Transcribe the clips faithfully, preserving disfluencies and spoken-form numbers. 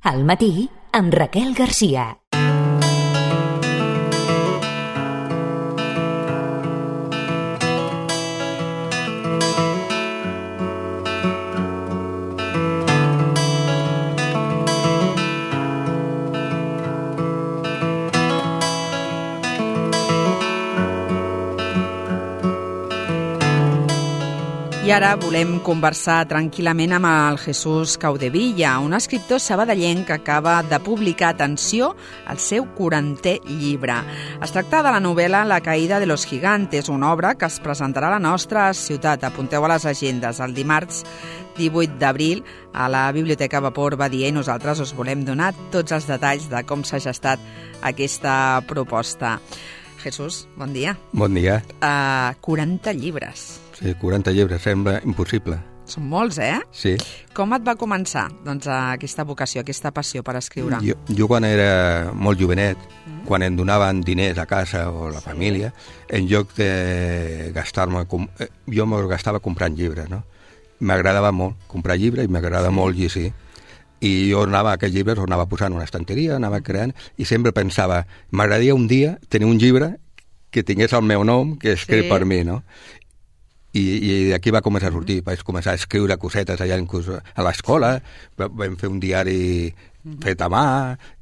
Al matí, amb Raquel Garcia. I ara volem conversar tranquil·lament amb el Jesús Caudevilla, un escriptor sabadellenc que acaba de publicar, atenció, el seu quarantè llibre. Es tracta de la novel·la La caída de los gigantes, una obra que es presentarà a la nostra ciutat. Apunteu a les agendes el dimarts divuit d'abril a la Biblioteca Vapor Badia i nosaltres us volem donar tots els detalls de com s'ha gestat aquesta proposta. Jesús, bon dia. Bon dia. Uh, quaranta llibres. Sí, quaranta llibres, sembla impossible. Són molts, eh? Sí. Com et va començar, doncs, aquesta vocació, aquesta passió per escriure? Jo, jo quan era molt jovenet, mm. quan em donaven diners a casa o a la família, en lloc de gastar-me... Jo me'ls gastava comprant llibres, no? M'agradava molt comprar llibres i m'agradava sí. molt llegir. I jo anava a aquests llibres, els anava posant en una estanteria, anava creant, i sempre pensava, m'agradaria un dia tenir un llibre que tingués el meu nom, que escrit sí. per mi, no? I, i d'aquí va començar a sortir. Vaig començar a escriure cosetes allà inclús a l'escola, vam fer un diari fet a mà,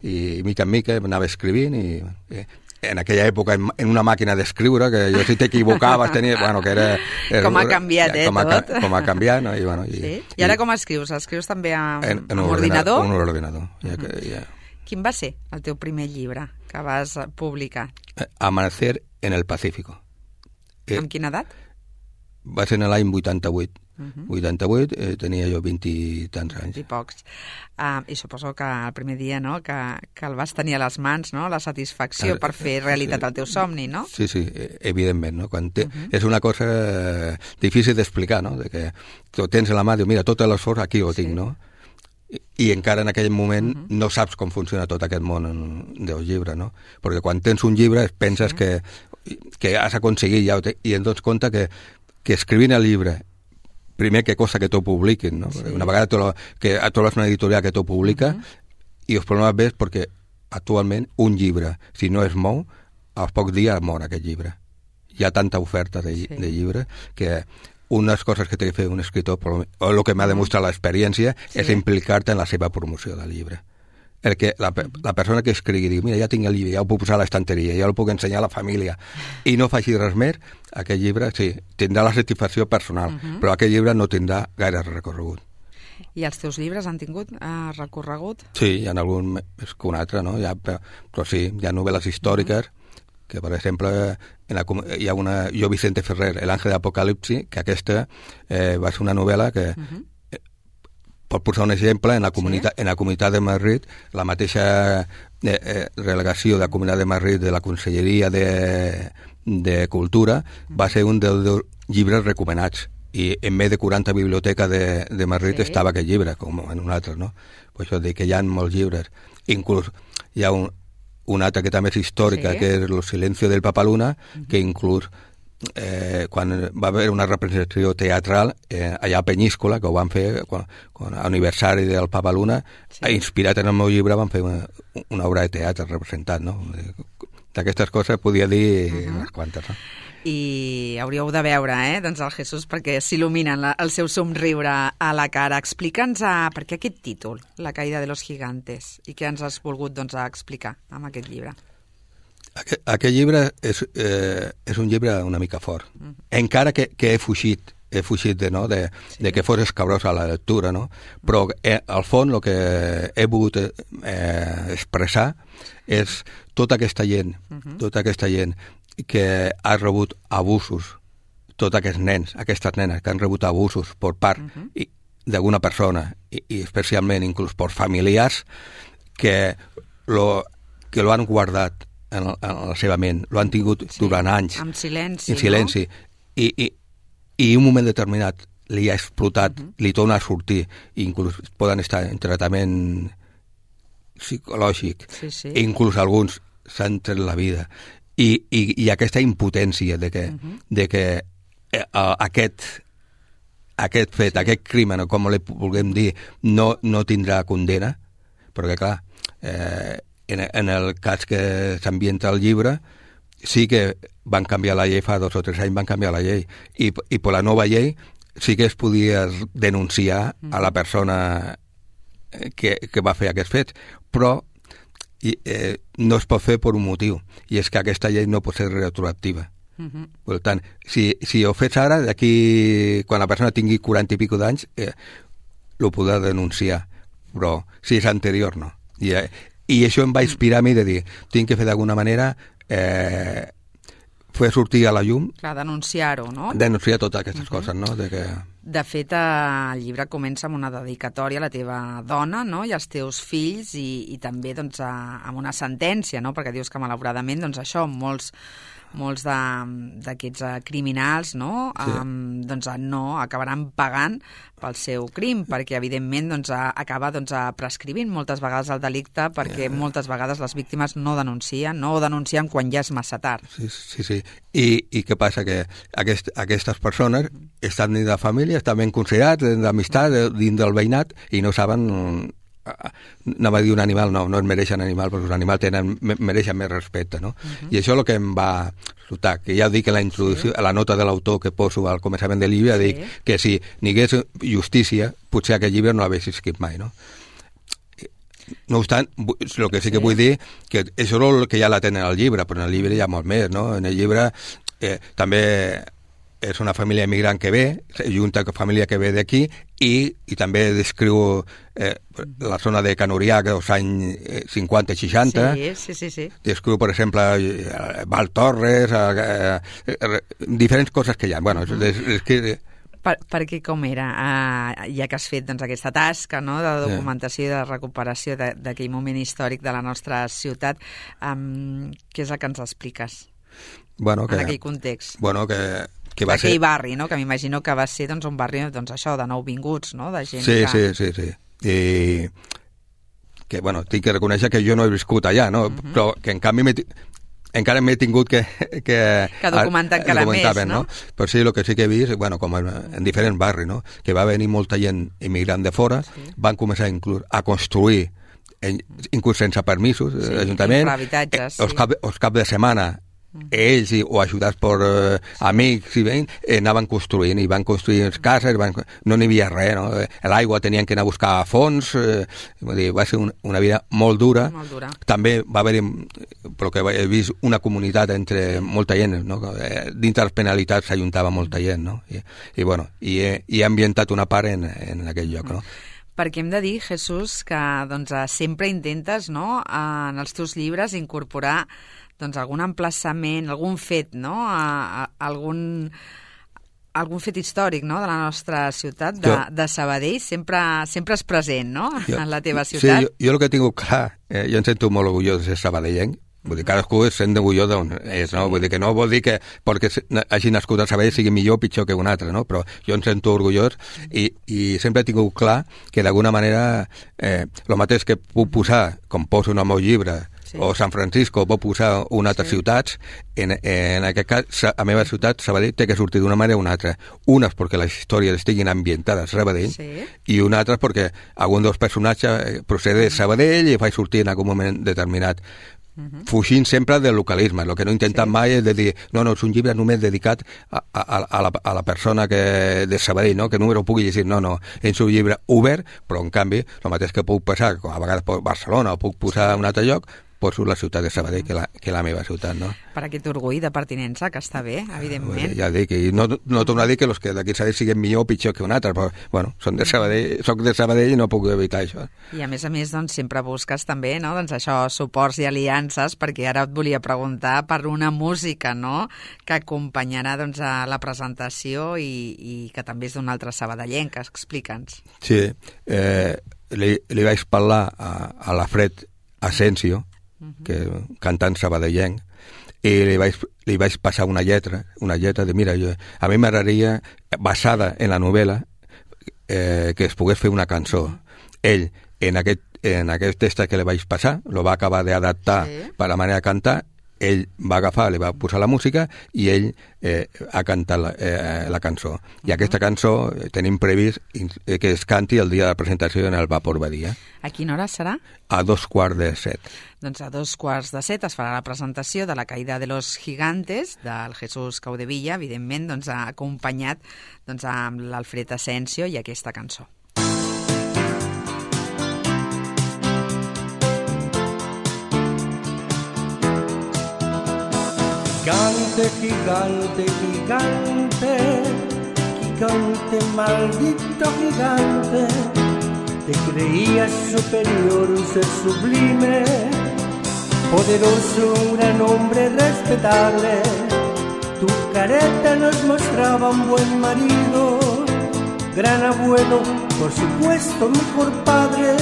i mica en mica anava escrivint, i, i en aquella època, en, en una màquina d'escriure, que jo si t'equivocaves tenia... Bueno, que era, era, com ha canviat, eh, com ha, tot. Com ha canviat, no? I, bueno, i, sí? I ara com escrius? Escrius també amb, en, en amb un ordinador? En un ordinador. Ja que, ja. Quin va ser el teu primer llibre que vas publicar? Amanecer en el Pacífico. Eh, amb quina edat? Va ser en l'any vuitanta-vuit. Uh-huh. vuitanta-vuit, eh, tenia jo vint i tants anys. I pocs. Uh, I suposo que el primer dia, no?, que, que el vas tenir a les mans, no?, la satisfacció uh, per fer realitat el teu somni, no? Sí, sí, evidentment, no? Quan te... uh-huh. És una cosa difícil d'explicar, no?, de que tu tens a la mà, diu, mira, tot l'esforç aquí ho tinc, sí. no? I, I encara en aquell moment uh-huh. no saps com funciona tot aquest món del llibre, no? Perquè quan tens un llibre penses sí. que, que has aconseguit ja, i et dones compte que que escrivint el llibre, primer que cosa que t'ho publiquin, no? Sí. Una vegada lo, que a trobes una editorial que t'ho publica, uh-huh. i els problemes ves perquè actualment un llibre, si no es mou, als pocs dies mor aquest llibre. Hi ha tanta oferta de, sí. de llibre que unes coses que té que fer un escriptor, o el que m'ha demostrat l'experiència, sí. és implicar-te en la seva promoció del llibre. El que la, la persona que escrigui diu, mira, ja tinc el llibre, ja ho puc posar a l'estanteria, ja el puc ensenyar a la família, i no faci res més, aquest llibre, sí, tindrà la satisfacció personal, uh-huh. però aquest llibre no tindrà gaire recorregut. I els teus llibres han tingut uh, recorregut? Sí, hi ha algun més que un altre, no? Ja, però, però sí, hi ha novel·les històriques, uh-huh. que per exemple, en la, hi ha una, jo Vicente Ferrer, El ángel de Apocalipsi, que aquesta eh, va ser una novel·la que... Uh-huh. Per posar un exemple, en la comunitat, sí? en la comunitat de Madrid, la mateixa eh, eh, relegació de la comunitat de Madrid de la Conselleria de, de Cultura va ser un dels de llibres recomanats. I en més de quaranta biblioteques de, de Madrid sí. estava aquest llibre, com en un altre, no? Per això dic que hi ha molts llibres. Inclús hi ha un, un altre que també és històrica, sí. que és El silencio del Papaluna, uh-huh. que inclús Eh, quan va haver una representació teatral eh, allà a Penyíscola, que ho van fer quan, quan aniversari del Papa Luna, sí. inspirat en el meu llibre van fer una, una obra de teatre representat, no? D'aquestes coses podia dir uh-huh. unes quantes, no? I hauríeu de veure, eh, doncs el Jesús, perquè s'il·luminen el seu somriure a la cara. Explica'ns a, per què aquest títol, La caída de los gigantes, i què ens has volgut doncs, explicar amb aquest llibre? Aquest, aquest llibre és, eh, és un llibre una mica fort. Mm. Encara que, que he fugit, he fugit de, no, de, sí. de que fos escabrós a la lectura, no? Però eh, al fons el que he volgut eh, expressar és tota aquesta gent, mm-hmm. tota aquesta gent que ha rebut abusos, tots aquests nens, aquestes nenes que han rebut abusos per part mm-hmm. d'alguna persona, i, i especialment inclús per familiars, que lo, que lo han guardat en la, en la seva ment, lo han tingut sí, durant anys. En silenci, en silenci. No? I, i, I un moment determinat li ha explotat, uh-huh. li torna a sortir, i inclús poden estar en tractament psicològic, sí, sí. i inclús alguns s'han tret la vida. I, i, i aquesta impotència de que, uh-huh. de que eh, aquest, aquest fet, sí. aquest crimen, o com li vulguem dir, no, no tindrà condena, perquè clar, eh, en, en el cas que s'ambienta el llibre, sí que van canviar la llei, fa dos o tres anys van canviar la llei, i, i per la nova llei sí que es podia denunciar a la persona que, que va fer aquests fets, però i, eh, no es pot fer per un motiu, i és que aquesta llei no pot ser retroactiva. Uh-huh. Per tant, si, si ho fes ara, d'aquí, quan la persona tingui quaranta i pico d'anys, eh, lo podrà denunciar, però si és anterior, no. I, eh, i això em va inspirar a mi de dir, tinc que fer d'alguna manera eh, fer sortir a la llum... Clar, denunciar-ho, no? Denunciar totes aquestes uh-huh. coses, no? De que... De fet, el llibre comença amb una dedicatòria a la teva dona, no?, i als teus fills, i, i també doncs, a, amb una sentència, no?, perquè dius que malauradament doncs, això, molts, molts d'aquests criminals, no?, sí. um, doncs, no acabaran pagant pel seu crim, perquè evidentment doncs, acaba doncs, prescrivint moltes vegades el delicte, perquè yeah. moltes vegades les víctimes no denuncien, no o denuncien quan ja és massa tard. Sí, sí, sí. I, i què passa? Que aquest, aquestes persones estan dins de la família, estan ben considerats, d'amistat, dins del veïnat, i no saben... Anava a dir un animal, no, no es mereixen animal, perquè els animals tenen, mereixen més respecte, no? Uh-huh. I això és el que em va resultar, que ja dic en la introducció, sí. a la nota de l'autor que poso al començament del llibre, sí. dic que si n'hi hagués justícia, potser aquest llibre no l'hagués escrit mai, no? No obstant, el que sí que sí. vull dir, que això és el que ja la tenen al llibre, però en el llibre hi ha molt més, no? En el llibre eh, també... és una família immigrant que ve, junta amb família que ve d'aquí, i, i també descriu eh, la zona de Canurià dels anys cinquanta i seixanta. Sí, sí, sí, sí. Descriu, per exemple, Val Torres, eh, eh, diferents coses que hi ha. Bueno, uh-huh. és, és que... Per, perquè com era, uh, ja que has fet doncs, aquesta tasca, no?, de documentació i de recuperació d'aquell moment històric de la nostra ciutat, um, què és el que ens expliques bueno, que, en aquell context? Bueno, que... que va d'aquell ser... barri, no?, que m'imagino que va ser doncs, un barri doncs, això, de nouvinguts, no?, de gent sí, que... Sí, sí, sí. I que, bueno, tinc que reconèixer que jo no he viscut allà, no?, uh-huh. però que en canvi m'he... encara m'he tingut que... Que, que documentar encara més, no? no? Però sí, el que sí que he vist, bueno, com en, en diferents barris, no?, que va venir molta gent immigrant de fora, sí. van començar inclús a construir, en, inclús sense permisos, sí, l'Ajuntament, eh, els, sí. cap, els cap de setmana, ells i, o ajudats per eh, amics i veïns eh, anaven construint i van construir les cases, van, no n'hi havia res, no? L'aigua tenien que anar a buscar a fons, eh, vull dir, va ser un, una vida molt dura. molt dura. També va haver, però que he vist una comunitat entre molta gent, no? Dins de les penalitats s'ajuntava molta gent, no? I, i bueno, i he, i he ambientat una part en, en aquell lloc, no? Perquè hem de dir, Jesús, que doncs, sempre intentes, no?, en els teus llibres incorporar doncs, algun emplaçament, algun fet, no?, a, a, algun, algun fet històric, no?, de la nostra ciutat, de, de Sabadell, sempre, sempre és present, no?, jo, en la teva ciutat. Sí, jo, jo el que tinc clar, eh, jo em sento molt orgullós de ser sabadellenc, vull dir, cadascú es sent orgullós d'on és, no? Vull dir que no vol dir que perquè hagi nascut a Sabadell sigui millor o pitjor que un altre, no? Però jo em sento orgullós i, i sempre he tingut clar que d'alguna manera eh, el mateix que puc posar, com poso en el meu llibre, sí. o San Francisco, puc posar una altra sí. ciutats, en, en aquest cas, a la meva ciutat, Sabadell, té que sortir d'una manera o una altra. Unes perquè les històries estiguin ambientades a Sabadell sí. i una altra perquè algun dels personatges procede de Sabadell i fa sortir en algun moment determinat. Uh-huh. Fugint sempre del localisme. El que no he intentat sí. mai és de dir no, no, és un llibre només dedicat a, a, a, la, a la persona que de Sabadell, no? Que només ho pugui llegir, no, no, és un llibre obert, però en canvi el mateix que puc passar, a vegades per Barcelona o puc posar a un altre lloc, poso la ciutat de Sabadell, que la, que la meva ciutat, no? Per aquest orgull de pertinença, que està bé, evidentment. Ja dic, i no, no torno a dir que els que d'aquí Sabadell siguin millor o pitjor que un altre, però, bueno, són de Sabadell, soc de Sabadell i no puc evitar això. I a més a més, doncs, sempre busques també, no?, doncs això, suports i aliances, perquè ara et volia preguntar per una música, no?, que acompanyarà, doncs, a la presentació i, i que també és d'un altre sabadellenc, explica'ns. Sí, eh, li, li vaig parlar a, a l'Alfred Asensio, que cantant sabadellenc, i li vaig, li vaig passar una lletra, una lletra de, mira, jo, a mi m'agradaria, basada en la novel·la, eh, que es pogués fer una cançó. Ell, en aquest, en aquest text que li vaig passar, lo va acabar d'adaptar sí. per la manera de cantar, ell va agafar, li va posar la música i ell eh, ha cantat la, eh, la cançó. I uh-huh. aquesta cançó tenim previst que es canti el dia de la presentació en el Vapor Badia. A quina hora serà? A dos quarts de set. Doncs a dos quarts de set es farà la presentació de la Caída de los Gigantes del Jesús Caudevilla, evidentment doncs, acompanyat doncs, amb l'Alfred Asensio i aquesta cançó. Gigante, gigante, gigante, gigante, maldito gigante, te creías superior, un ser sublime, poderoso, un gran hombre respetable. Tu careta nos mostraba un buen marido, gran abuelo, por supuesto, mejor padre.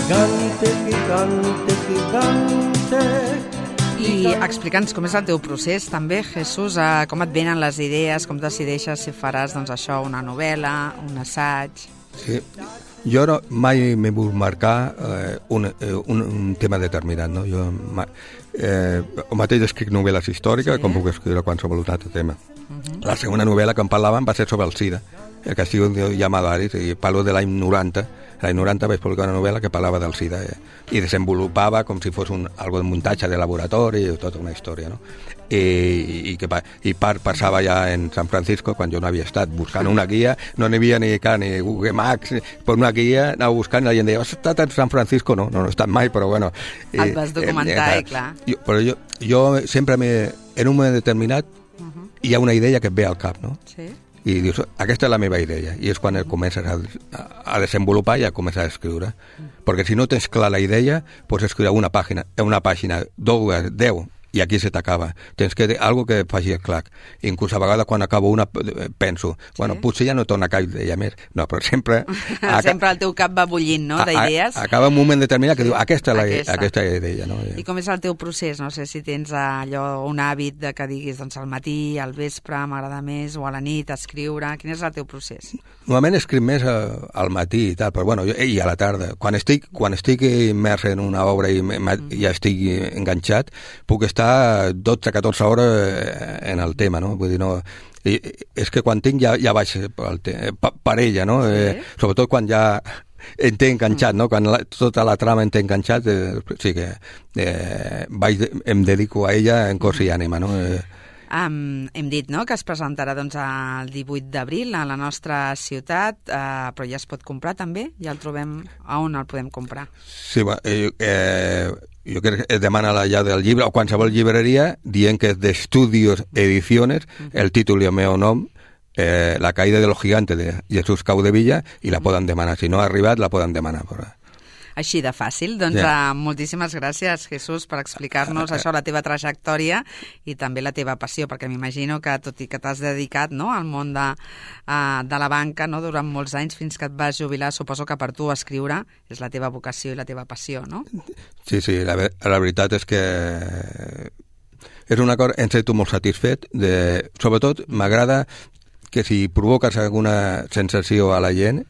Gigante, gigante, gigante. I explica'ns com és el teu procés també, Jesús, eh, com et venen les idees, com decideixes si faràs doncs, això, una novel·la, un assaig... Sí, jo no, mai m'he volgut marcar eh, un, eh, un, un tema determinat, no? Jo eh, el mateix escric novel·les històriques, sí. com puc escriure qualsevol altre tema. Uh-huh. La segona novel·la que em parlaven va ser sobre el SIDA, el castigo llamado Aris, i parlo de l'any noranta. L'any noranta vaig publicar una novel·la que parlava del SIDA eh, i desenvolupava com si fos un, algo de muntatge de laboratori i tota una història, no? I, i, que, i part passava ja en San Francisco quan jo no havia estat buscant una guia, no n'hi havia ni, ni Google Maps, per una guia anava buscant i la gent deia, has estat en San Francisco? No, no, no he estat mai, però bueno... Et vas documentar, eh, eh, clar. Jo, però jo, jo sempre me, en un moment determinat uh-huh. hi ha una idea que et ve al cap, no? Sí. I dius, aquesta és la meva idea, i és quan el comences a, a desenvolupar i a començar a escriure. Mm. Perquè si no tens clar la idea, pots escriure una pàgina, una pàgina, dues, deu, i aquí se t'acaba. Tens que algo que faci el clac. Inclús a vegades quan acabo una penso, sí. bueno, potser ja no torna cap idea més. No, però sempre... sempre el teu cap va bullint, no?, d'idees. Acaba un moment determinat que diu, aquesta és la, aquesta. aquesta idea, no? I com és el teu procés? No sé si tens allò, un hàbit de que diguis, doncs al matí, al vespre, m'agrada més, o a la nit, escriure. Quin és el teu procés? Normalment escric més al matí i tal, però bueno, jo, i a la tarda. Quan estic, quan estic immers en una obra i mm. ja estic enganxat, puc estar dotze a catorze hores en el tema, no? Vull dir, no... I, és que quan tinc ja, ja vaig per ella, no? Sí. Eh, sobretot quan ja en té enganxat, no? Quan la, tota la trama en té enganxat, eh, sí que eh, vaig, em dedico a ella en cos i ànima, no? Eh, Um, hem dit, no?, que es presentarà doncs, el divuit d'abril a la nostra ciutat, uh, però ja es pot comprar també? Ja el trobem... A on el podem comprar? Sí, eh, eh, jo crec que es demana la llave del llibre, o qualsevol llibreria, dient que és d'Estudios Ediciones, uh-huh. el títol i el meu nom, eh, La caída de los gigantes de Jesús Caudevilla, i la uh-huh. poden demanar. Si no ha arribat, la poden demanar. Però... Així de fàcil. Doncs yeah. uh, moltíssimes gràcies, Jesús, per explicar-nos uh, uh, això, la teva trajectòria i també la teva passió, perquè m'imagino que, tot i que t'has dedicat, no?, al món de, uh, de la banca, no?, durant molts anys fins que et vas jubilar, suposo que per tu escriure és la teva vocació i la teva passió, no? Sí, sí, la, la veritat és que és una cosa, em sento molt satisfet, de, sobretot m'agrada que si provoques alguna sensació a la gent,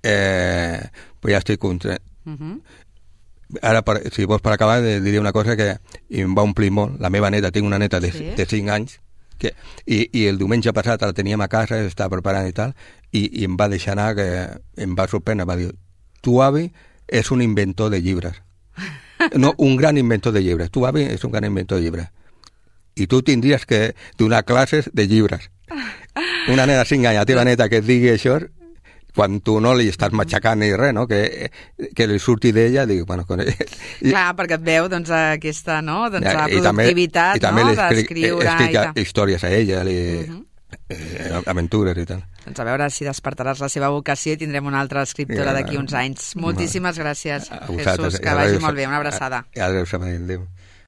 eh, pues ja estic content. Uh-huh. Ara, per, si vols per acabar, diria una cosa que em va omplir molt. La meva neta, tinc una neta de, sí? de cinc anys, que, i, i el diumenge passat la teníem a casa, estava preparant i tal, i, i em va deixar anar, que em va sorprendre, va dir, tu avi és un inventor de llibres. No, un gran inventor de llibres. Tu avi és un gran inventor de llibres. I tu tindries que donar classes de llibres. Una nena de cinc anys, la teva neta, que et digui això, quan tu no li estàs matxacant ni res, no?, que, que li surti d'ella, dic, bueno... Con ella. I, clar, perquè et veu, doncs, aquesta, no?, doncs, la productivitat, i també, no?, d'escriure... I també li històries a ella, li, uh-huh. eh, aventures i tal. Doncs a veure si despertaràs la seva vocació i tindrem una altra escriptora d'aquí uns anys. Moltíssimes gràcies, Jesús, que vagi molt bé. Una abraçada. Adéu, Adéu.